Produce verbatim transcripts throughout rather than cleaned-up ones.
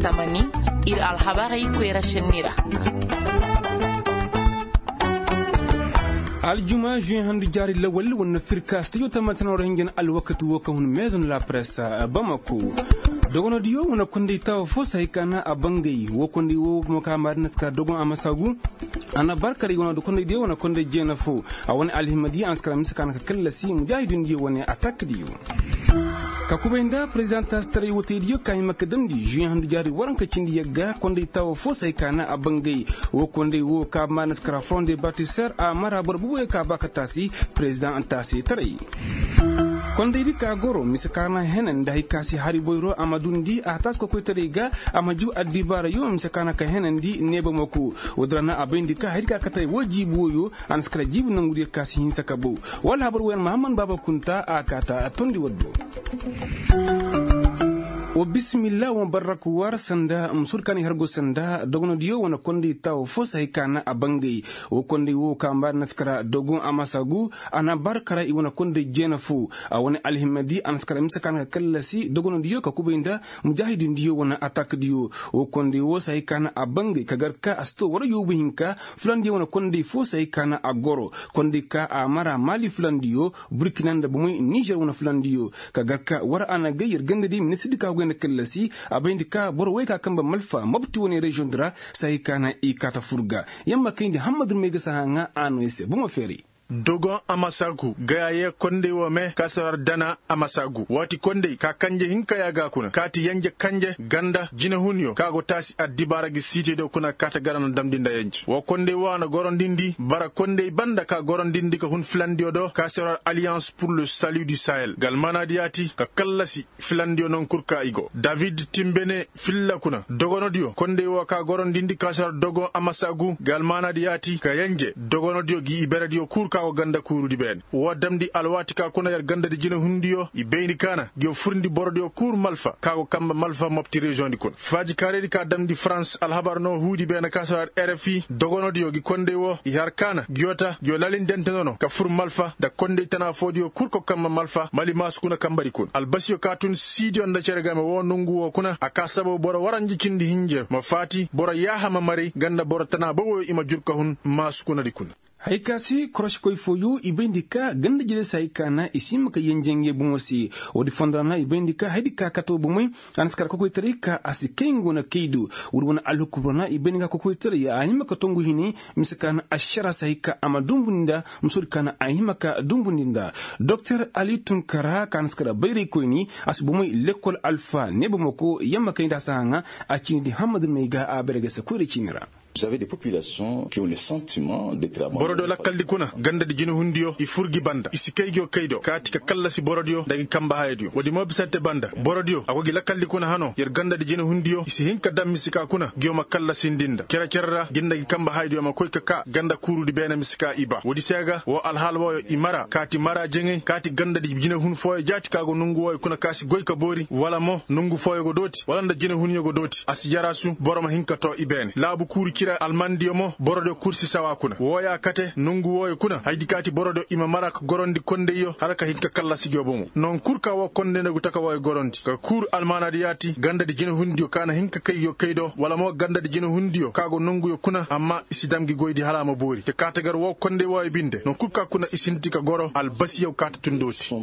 Tamani, ir alhabarey koyra šenni ra. Aljuma žuweŋ handu jaari lawal wane firka stijo tamani tana war hinjan alwakati wo kaŋ hun maison la presse, bamako. Dogonodiyo wane konday taawo fo se hay ka na a bangay wo konday wo mo ka maadina si ka dogon a masa gu. A na barkaray wane konday diyo wane konday jeena fo. A wane alhimadiyo a na si kara mise ka na ka kallasi mujaahidindiyo wane atakdiyo. Ka kubay nda prezidantastaray woteydiyo ka hima ka damndi žuweŋ handu jaari waranka cindi yagga konday taawo fo se hay ka na a bangay. Wo konday wo ka maana si kara front de batiser a mara boro bubuyo ka ba ka taasi. Prezidantaasi taray. Kondaydi ka goro mise ka na henandi hay ka si hari boyro a ma dundi a taasi kokoytaray ga. A ma jiw addibaarayo mise ka na ka henandi neeba mako. Woodin ra na a bayndi ka haydi ka katay wo jiibi woyo. A na si kara jiibi nangudiyo ka si hinsa ka bow. Wala habar woyan mahamman baaba kunta a kaata tondi waddo. Wa bisimilla wa barrak war sanda musur kaani hargo sanda dogonodiyo wane konday taawo fo se hay ka na a bangay. Wo konday wo ka mbaari na si kara dogon a masa gu. A na barkara i wane konday jeena fo. A wane alhimadi a na si kara mise ka na ka kallasi dogonodiyo ka kubay nda mujaahidindiyo wane atakdiyo. Wo konday wo se hay ka na a bangay ka gar ka a si to war yoobu hinka. Fulandiyo wane konday fo se hay ka na a goro. Konday ka a mara maali fulandiyo. Burkina nda bomey nizer wane fulandiyo. Ka gar ka war a na gay yer gandadi ministirdi ka goy nda kallasi. A bayndi ka boro wey ka kambe malfa mobti wane reziyoŋ di ra. Sahi ka na i kaata fur ga. Yamma kayndi hammadu may ga saha ŋaa a no i se bomo feeray. Dogon a ma saaku gaya yee konday wo me ka si war dana a ma saaku waati konday ka kanje hinka ya ga kuna kaati yanje kanje ganda jinehunyo ka go taasi addibaara gi siitediyo kuna kaata gara na damndi nda yanje woo konday wo a na gorondindi bara konday banda ka gorondindi ka hun filandiyo do ka si war aliyans pur le salu du sahel ga almaanaadi yaati ka kallasi filandiyo noŋ kul ka i go david timbene filla kuna dogonodiyo konday wo ka gorondindi ka si war dogon a ma saaku ga almaanaadi yaati ka yanje dogonodiyo gi iberediyo kul ka go ganda kuurudi beene woo damndi alwaati ka kuna yer gandadi jinehundiyo i bayndi ka na ngiyo furndi borodiyo kul malfa ka go kambe malfa mopti reziyoŋdi kuna faajikaaraydi ka damndi farans alhabar no huudi beene ka si war rfi dogonodiyo gi konday wo i har ka na ngiyo ta ngiyo lalindente nono ka fur malfa nda konday tana foodiyo kul ka go kambe malfa mali maasu kuna kambedi kuna albasiyo ka tun siidiyo nda cere game woo nongu woo kuna a ka sababu boro waranja cindi hinja ma faati boro yaaha ma maray nga nda boro tana boboyo i ma jur ka hun maasu kunadi kuna. Hay ka se korosikoy fooyo i bayndi ka ganda jere se hay ka na i si hima ka yenje ngey bomo se. Woodi fondo ra na i bayndi ka haydi ka kate wo bomey a na si kar kokoytaray ka a si kay nga wane kay do. Woodi wane alhukum ra na i bayndi ka kokoytaray a hima ka tongu hini mise ka na ašara se hay ka a ma dumbundi nda. Musoodi ka na a hima ka dumbundi nda doktor ali tunkara ka na si kar bayraykoyni a si bomey lekkol alfa ne bomey ko yamma kay nda a si haŋa. A ciini di hammadu may ga a bayray ga se koyra ciini ra. Borodiyo lakkaldi kuna gandadi jinehundiyo i fur gi banda i si kay ngiyo kay do kaati ka kallasi borodiyo nda ngi kamba hayadiyo woodi mo bisante banda borodiyo a go gi lakkaldi kuna hano yer gandadi jinehundiyo i si hin ka daŋ misi ka kuna ngiyo ma kallasindi nda cere-cere ra ngi nda ngi kamba hayadiyo ma koy ka kaa ganda kuurudi beene misi ka i ba woodi se ga woo alhaala wooyo i mara kaati mara jeŋay kaati gandadi jinehun fooyo jaati ka go nongu wooyo kuna ka si goy ka boori wala mo nongu fooyo go dooti wala nda jinehunyo go dooti a si jaraasu boro ma hin ka too i beene laabu kuuru cira almandiyo mo borodiyo kul si sawa kuna wooya kate nongu wooyo kuna haydi kaati borodiyo i ma mara ka gorondi kondayyo hala ka hin ka kallasi ngiyo bomo noŋ kul ka woo konday nda gu taka wooyo gorondi ka kuuru almaanaadi yaati gandadi jinehundiyo ka na hin ka kay ngiyo kay do wala mo gandadi jinehundiyo ka go nonguyo kuna amma i si dam ngi goydi hala a ma boori te kaate gar woo konday wooyo binde noŋ kul ka kuna i sinti ka goro albasiyaw kaate tun dooti.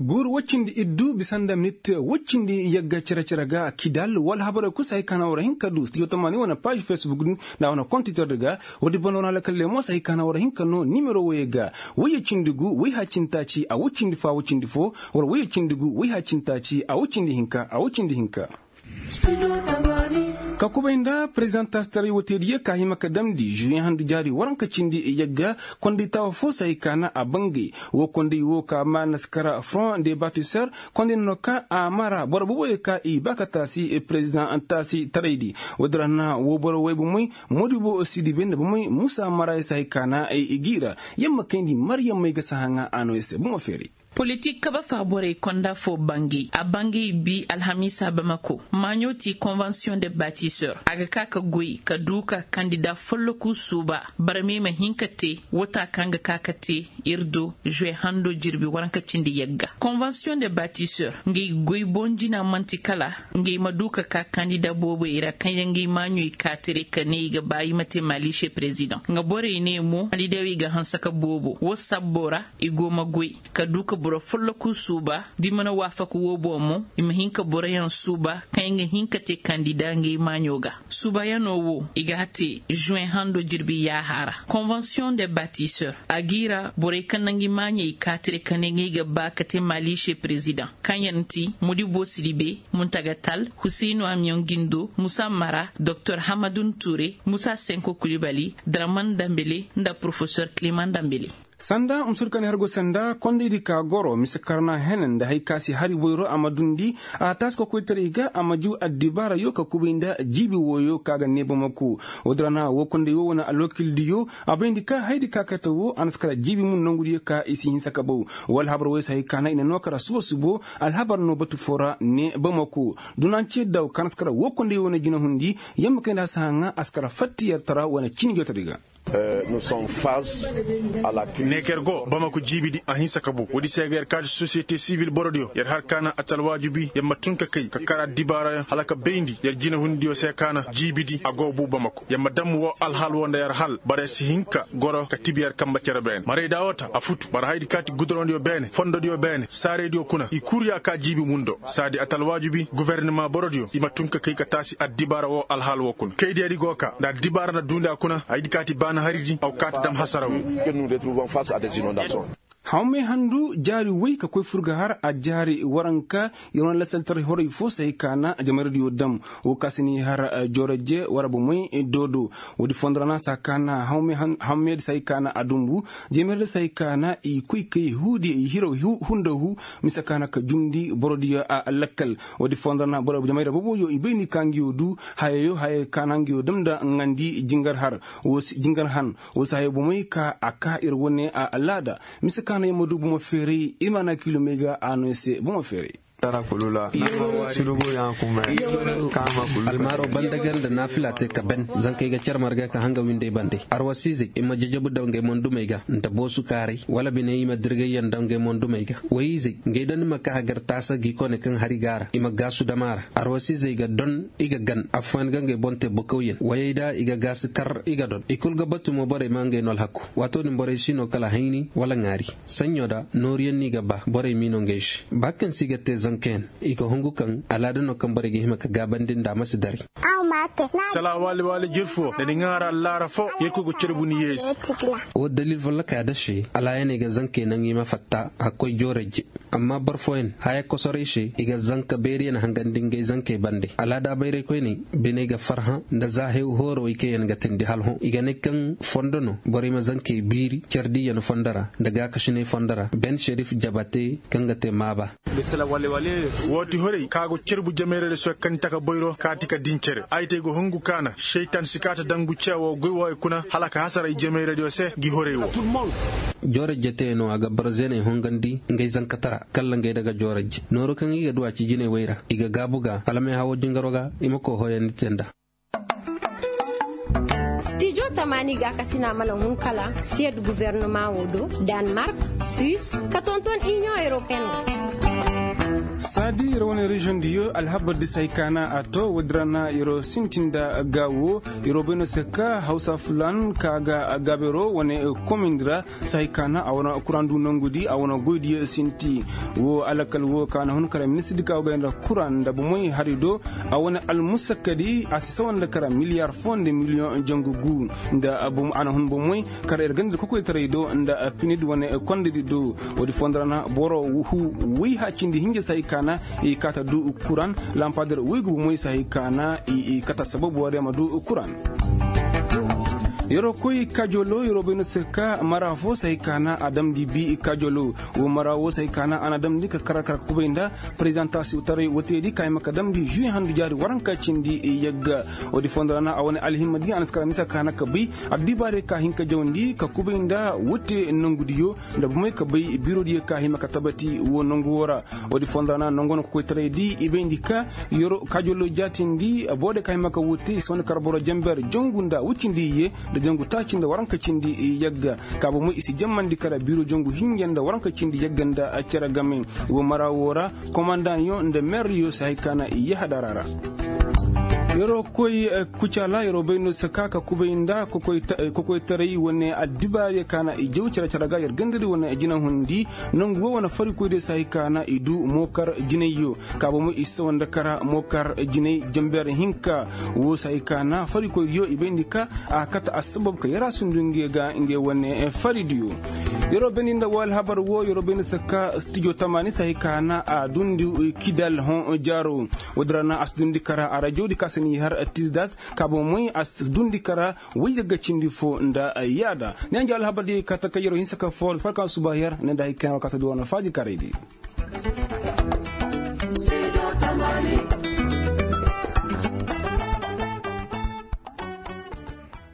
Guuru woy cindi iddu bisa nda minit woy cindi yagga cere-cere ga kidal wala habarey kul se hay ka na war hin ka du studio tamani wane paaž facebook din nda wane kontitor di ga woodi banda wane alakalle mo se hay ka na war hin ka noo nimero woyey ga woyye cindi gu woy haacintaaci a woy cindi fo a woy cindi fo wala woyye cindi gu woy haacintaaci a woy cindi hinka a woy cindi hinka. Ka kubay nda perezidantastaray woteediyo ka hima ka damndi žuwiyaŋ handu jaari waranka cindi yagga konday taawa fo se hay ka na a bangay woo konday woo ka maana si kara front de batiser konday nono ka a mara boro boboyo ka i ba ka taasi perezidantaasi taraydi woodin ra na woo boro woy bomey moodibo sidibe nda bomey muusa mara ya se hay ka na i g'i ra. Yamma kayndi maryammey ga si haŋa a noo ya se bomo feeray. Politik kabe faaborey konda foo bangey a bangey bi alhamiisa bamako maaɲo ti konvensiyoŋ de batisor a ga ka ka goy ka du ka kandida folloku suuba barmey ma hin ka te wota kaŋ ga ka ka te ir do žuwe hando jirbi waranka cindi yagga konvensiyoŋ de batisor ngey goy boŋ jina man'ti kala ngey ma du ka ka kandida booboy ra kaŋ yaŋ ga i maaɲoy kaatare ka ne i ga ba i ma te maaliise perezidaŋ nga borey ne mo kandida wo i ga hanse ka boobo wo sabbo ra i go ma goy ka du ka boro folloku suuba da i mana waafaku wo boŋ mo i ma hin ka boroyaŋ suuba kaŋ yaŋ ga hin ka te kandida ngey maaɲo ga suubayanoo wo i ga a te žuwe hando jirbi yaaha ra konvensiyoŋ de batisor a g'i ra borey kaŋ na ngi maaɲey kaatare ka ne ngey ga ba ka te maaliise perezidaŋ kaŋ yaŋ ti modibo siribe muntagatal huseynu amiyoŋ gindo musa mara doktor hamadun ture musa senko kulibali draman dambele nda porofesor kiliman dambele. Sanda musur kani har go sanda kondaydi ka goro mise karna henen nda hay ka si hari boyro a ma dundi a taasi ka koytaray ga a ma jiw addibaarayo ka kubay nda jiibi wooyo ka ga ne bamako. Woodin ra na woo konday woo wane alwakildiyo a bayndi ka haydi ka kate woo a na si kara jiibi mun nongudiyo ka i si hinsa ka baw. Woo alhabar woo i si hay ka na i na noo kara subo subo. Alhabar no batu foo ra ne bamako. Dunancediyo ka na si kara woo konday woo wane jinahundi. Yamma kayndi a si haŋa a si kara fatta yer tara wane cini jootadi ga. Ne ka yer go bamako jiibidi a hinsa ka baw woodi se ga yer kaati sosiyete sibil borodiyo yer har ka na atalwaajubi yer ma tun ka kay ka kara dibaarayaŋ hala ka bayndi yer jinahundiyo se ka na jiibidi a go buu bamako yer ma damm woo alhal woo nda yer hal bara yer si hin ka goro ka tibi yer kambe cere beene marayda woo ta a futu bara hayadi kaati gudurondiyo beene fondodiyo beene saaraydiyo kuna i kul ya ka jiibi mundo saadi atalwaajubi gofornima borodiyo i ma tun ka kay ka taasi addibaara woo alhaal woo kuna kaydiyadi go ka nda addibaara na duundi a kuna hayadi kaati baana haridi aw kaati dam hasara woo. Hawmey handu jaari woy ka koy fur ga har a jaari waranka. Yer wane lasaltaray horay foo se hay ka na jamayradiyo dam woo ka si ni har joorajje wara bomey doodo. Woodi fondo ra na si hay ka na hawmey di si hay ka na a dumbu. Jamayradi si hay ka na i koy kay huudiyo i hiro hundahu mise ka na ka jumndi borodiyo a lakkal. Woodi fondo ra na jamayra boboyo i bay ni ka ngiyo du hayayo hayay ka na ngiyo dam nda ngandi jingar har. Woo si jingar han woo si hayo bomey ka a ka ir wane alaada. Mise ka na yer ma du bomo feeray ir ma na kiilomey ga a no yer se bomo feeray. Almaaro banda ga nda naafila te ka ben zankey ga car marga ka hanga winday bande arwasiizey i ma jajabu daw ngey mondumey ga nda boosu kaaray wala bine i ma dirgayyaŋ daw ngey mondumey ga. Woy-izey ngey da ni ma ka hagar taasa gi kone kaŋ hari ga a ra i ma gaasu dam a ra. Arwasiizey ga don i ga gan affooyaŋ ga ngey boŋ te bokawyaŋ woyey da i ga gaasi kar i ga don i kul ga batu mo borey ma ngey no alhaku. Waato din borey si no kala hayni wala ŋaari. Saɲɲo da nooruyaŋ no i ga ba borey m'i no ngey se ba kaŋ se i ga te zankayaŋ i ga hungu kaŋ alaada no kaŋ borey ga hima ka gaabandi nda a ma si daray. Sala waali waali jir fo nda ni ŋaara allaara fo yerkoy go carbu ni yeesi. Woo dalil follokaa da se alaayaney ga zankey naŋ i ma fatta hakkoy jooray je. Amma boro fooyaŋ haya kosoray se i ga zanka beeriyaŋ hangandi ngey zankey bande alaada bayraykoyney biney ga farhã nda za hew hoorowey kaŋ yaŋ ga tindi hala hõ i ga ne kaŋ fondo no borey ma zankey biiri care diiyaŋ fondo ra nda gaakasiney fondo ra ben serif jabate kaŋ ga te maaba. Woo ti horay ka go carbu jameerayra soy kaŋ taka boyro kaati ka din cere ay te go hungu kaana seytan si kaata dangu ceewoo goy wooyo kuna hala ka hasara i jameeraydiyo se ngi horay woo. Joorajje teeno a ga boro zeeney hongandi ngey zankatara kalla ngey daga joorajje nooru kaŋ i ga du a ci jinay woy ra i ga gaabu ga hala meehawoo jingaroo ga i ma koo hoyandi te nda. Stijo tamaani gaakasina mana hun kala siyed gufornama woo do, danmark, suis, ka tonton iniyoŋ europeen. Saadi yer wane reziyoŋ diyo alhabar di si hay kaana a to woodi ra na yer sintin nda gaawo. Yer bay no se ka hawsa fulan ka ga gaabero wane komin di ra si hay kaana a wane kuraŋ du nongu di a wane goy diyo sinti. Woo alakal woo kaana hun kala ministir di ka go gay nda kuraŋ nda bomey hari do. A wane almusakka di a si sawa nda kara miliyar foo nda miliyoŋ jangu gu. Nda a na hun bomey kara ir ganda nda kokoytaray do nda pinid wane kondedi do. Woodi foo nda ra na boro woy haacindi hinja si hay kaana i kaata du kuraŋ lampader woy ga bomey si hay kaana i kata sabab woodi a ma du kuraŋ. Yeroo koy kajolo yeroo bay no se ka mara fo se hay ka na a damndi bi kajolo. Woo mara woo se hay ka na a na damndi ka kara kara ka kubay nda prezantaasiyoŋ taray woo teedi ka hima ka damndi žuwi handu jaari waranka cindi yagga. Woodi fondo ra na a wane alhimma di a na si kara mise ka na ka bay addibaarey ka hin ka jawndi ka kubay nda wote nongudiyo nda bomey ka bay biirodiyo ka hima ka tabati woo nongu woo ra. Woodi fondo ra na nongo no kokoytaray di i bayndi ka yeroo kajolo jaatindi boode ka hima ka woo te i si wane kara boro jenber jongu nda woy cindi iyye nda jongu taaci nda waranka cindi yagga. Kaabo moy i si jemmandi kara biiro jongu hinja nda waranka cindi yagga nda cere game. Woo mara woo ra komandaŋyo nda meryo si hay ka na i yahadara ra. Yeroo koy kucaala yeroo bay no si ka ka kubay nda kokoytaray wane addibaariyo ka na i jaw cere cere ga yer gandari wane jinahundi. Nongu woo wane farikoydiyo si hay ka na i du mookar jinayyo. Kaabo moy i si sawa nda kara mookar jinay jenber hinka. Woo si hay ka na farikoydiyo i bayndi ka a kate assabab ka yarasundu ngey ga ngey wane faridiyo. Yeroo bayndi nda woo alhabar woo yeroo bayndi se ka stijo tamaani se hay ka na a dundi kidal hõ jaaro. Woodi ra na a si dundi kara a rajodi ka se n'i har tisdas ka boŋ moy a si dundi kara woy yagga cindi fo nda yaada. Ni a nja alhabar diyo ka taka yeroo hinsa ka foor farka suba yer ne nda hay ka na woo ka ta du wane faaji karay di.